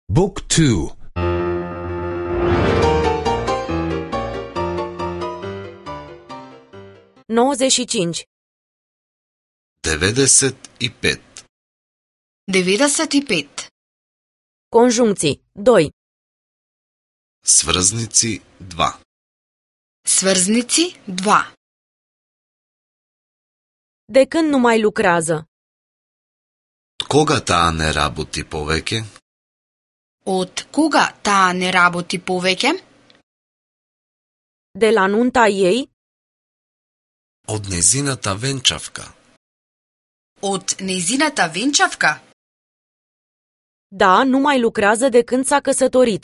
Book 2. 95. 95. 95. Conjuncții 2. Сврзници 2. Сврзници 2. De când nu mai lucrează? Кога таа не работи повеќе? Од кога таа не работи повеќе? De la nunta ei? Од незината венчавка. Од незината венчавка? Da, nu mai lucrează de când s-a căsătorit.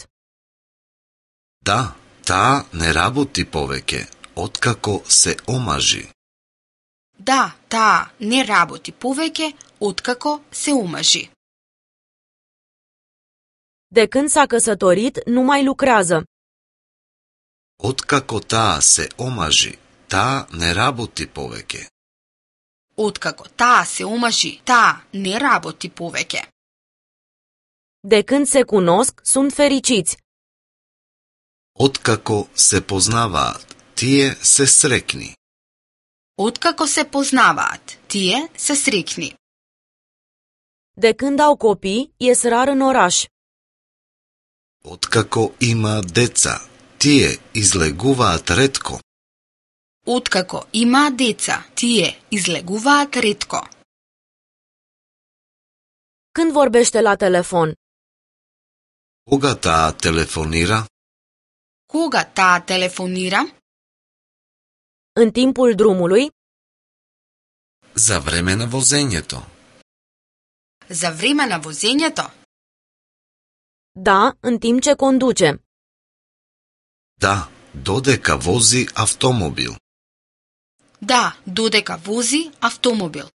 Да, таа не работи повеќе, откако се омажи. Да, таа не работи повеќе откако се омажи. De când s-a căsătorit, nu mai lucrează. Откако таа се омажи, таа не работи повеќе. Откако таа се омажи, таа не работи повеќе. De când se cunosc, sunt fericiți. Откако се познаваат, тие се срекни. Откако се познаваат, тие се срекни. De când au copii, ies rar în oraș. Откако има деца, тие излегуваат ретко. Откако има деца, тие излегуваат ретко. Când vorbește la telefon? Кога таа телефонира? Кога таа телефонира? În timpul drumului? За време на возењето. За време на возењето? Da, în timp ce conduce. Да, додека вози автомобил. Да, додека вози автомобил.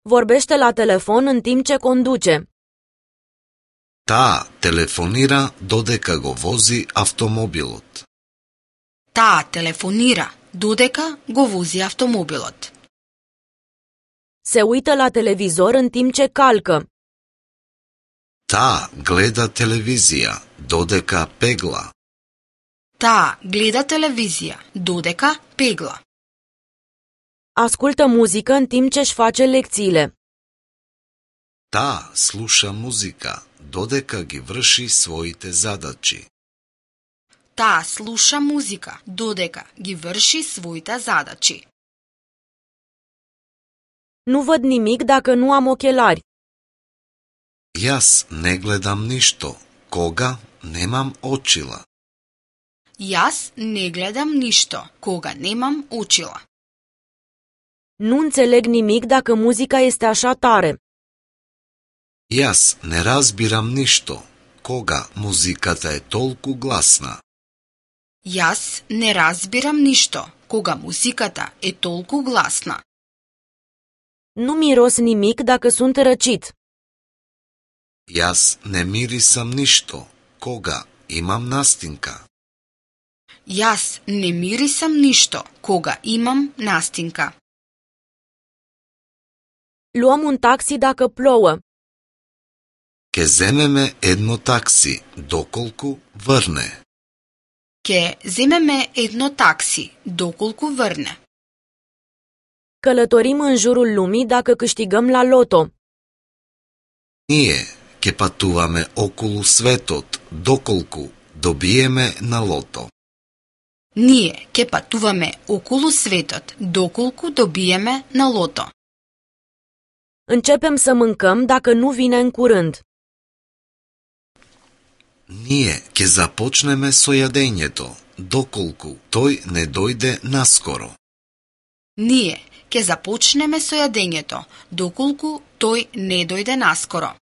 Vorbește la telefon în timp ce conduce. Таа телефонира додека го вози автомобилот. Таа телефонира додека го вози автомобилот. Se uită la televizor în timp ce calcă. Таа гледа телевизија додека пегла. Таа гледа телевизија додека пегла. Ascultă muzică în timp ce își face lecțiile. Таа слуша музика додека ги врши своите задачи. Таа слуша музика додека ги врши своите задачи. Nu văd nimic dacă nu am ochelari. Јас не гледам ништо кога немам очила. Јас не гледам ништо кога немам очила. Nu înțeleg nimic dacă muzica este așa tare. Јас не разбирам ништо кога музиката е толку гласна. Јас не разбирам ништо кога музиката е толку гласна. Nu miros nimic dacă sunt răcit. Јас не мирисам ништо кога имам настинка. Јас не мирисам ништо кога имам настинка. Luăm un taxi dacă plouă. Ке земеме едно такси доколку врне. Ке земеме едно такси доколку врне. Călătorim în jurul lumii dacă câștigăm la loto. Ние ке патуваме околу светот доколку добиеме на лото. Ние ке патуваме околу светот доколку добиеме на лото. Începem să mâncăm dacă nu vine în curând. Ние ке започнеме со јадењето доколку тој не дојде наскоро. Ние ке започнеме со јадењето доколку тој не дојде наскоро.